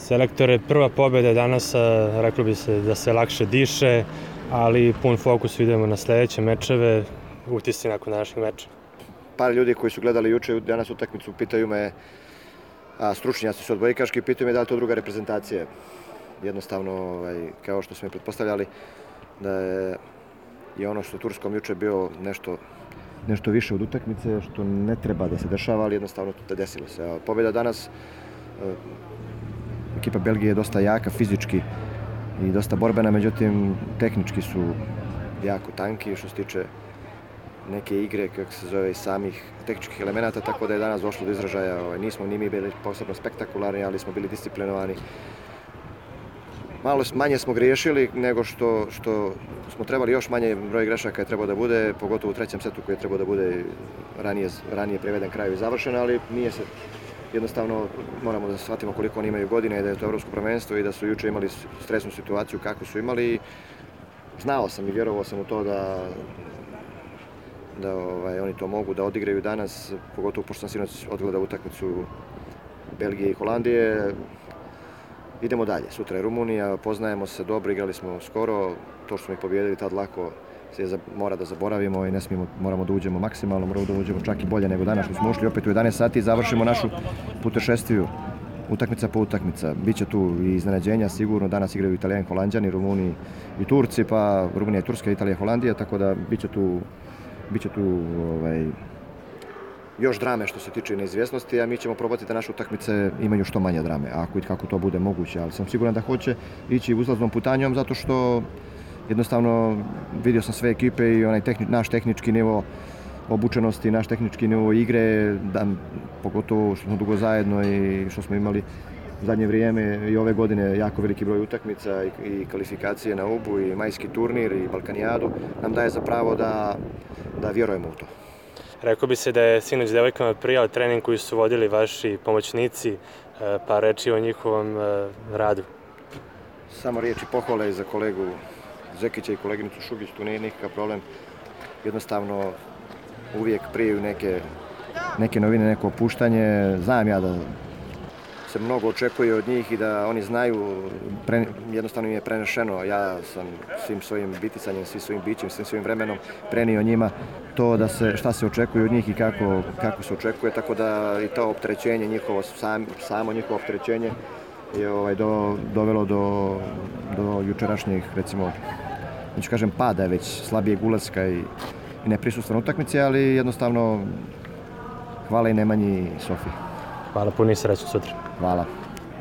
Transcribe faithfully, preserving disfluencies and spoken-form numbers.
Selektore, prva pobjeda danas, reklo bi se da se lakše diše, ali pun fokus idemo na sljedeće mečeve, utisci nakon današnjeg meča. Par ljudi koji su gledali juče danas utakmicu pitaju me, a stručnjaci su odbojkaški, pitaju me da li to druga reprezentacija. Jednostavno, ovaj, kao što smo pretpostavljali, da je i ono što u Turskom juče bio nešto, nešto više od utakmice, što ne treba da se dešava, ali jednostavno to desilo se. Pobjeda danas, ekipa Belgije je dosta jaka fizički i dosta borbena, međutim tehnički su jako tanki što se tiče neke igre, kako se zove, samih tehničkih elemenata, tako da je danas došlo do izražaja. Ovaj, nismo ni mi bili posebno spektakularni, ali smo bili disciplinovani. Malo manje smo griješili nego što, što smo trebali, još manje broj grešaka je trebao da bude, pogotovo u trećem setu koji je trebao da bude ranije, ranije priveden kraju i završen, ali nije se. Jednostavno moramo da shvatimo koliko oni imaju godine i da je to evropsko prvenstvo i da su juče imali stresnu situaciju kakvu su imali. Znao sam i vjerovao sam u to da, da ovaj, oni to mogu da odigraju danas, pogotovo pošto sam sinoć odgledao utakmicu Belgije i Holandije. Idemo dalje, sutra je Rumunija, poznajemo se dobro, igrali smo skoro, to što smo ih pobijedili tad lako se mora da zaboravimo i ne smijemo, moramo da uđemo maksimalno, moramo da uđemo čak i bolje nego danas što smo ušli opet u jedanaest sati i završimo našu putešestviju, utakmica po utakmica. Biće tu i iznenađenja, sigurno danas igraju Italijani, Holanđani, Rumuni i Turci, pa Rumunija i Turska, Italija i Holandija, tako da biće tu, biće tu ovaj, još drame što se tiče neizvjesnosti, a mi ćemo probati da naše utakmice imaju što manje drame, ako i kako to bude moguće, ali sam siguran da hoće ići uzlaznom putanjom zato što jednostavno vidio sam sve ekipe i onaj tehni, naš tehnički nivo obučenosti, naš tehnički nivo igre, da, pogotovo što smo dugo zajedno i što smo imali u zadnje vrijeme i ove godine jako veliki broj utakmica i, i kvalifikacije na U B U i majski turnir i Balkanijadu nam daje za pravo da, da vjerujemo u to. Rekao bi se da je sinoć devojkama prijao trening koji su vodili vaši pomoćnici, pa reči o njihovom radu. Samo riječi pohvale za kolegu Zekića i koleginicu Šugić, tu nije nikakav problem. Jednostavno uvijek prijaju neke, neke novine, neko opuštanje. Znam ja da se mnogo očekuje od njih i da oni znaju, pre, jednostavno im je prenešeno. Ja sam svim svojim biticanjem, svim svojim bićem, svim svojim vremenom prenio njima to da se, šta se očekuje od njih i kako, kako se očekuje, tako da i to opterećenje njihovo, sam, samo njihovo opterećenje je ovaj, do, dovelo do, do jučerašnjih, recimo, neću kažem pada, već slabijeg ulaska i, i neprisustva na utakmici, ali jednostavno hvala i Nemanji i Sofiji. Hvala, puni sreću sutra. Hvala.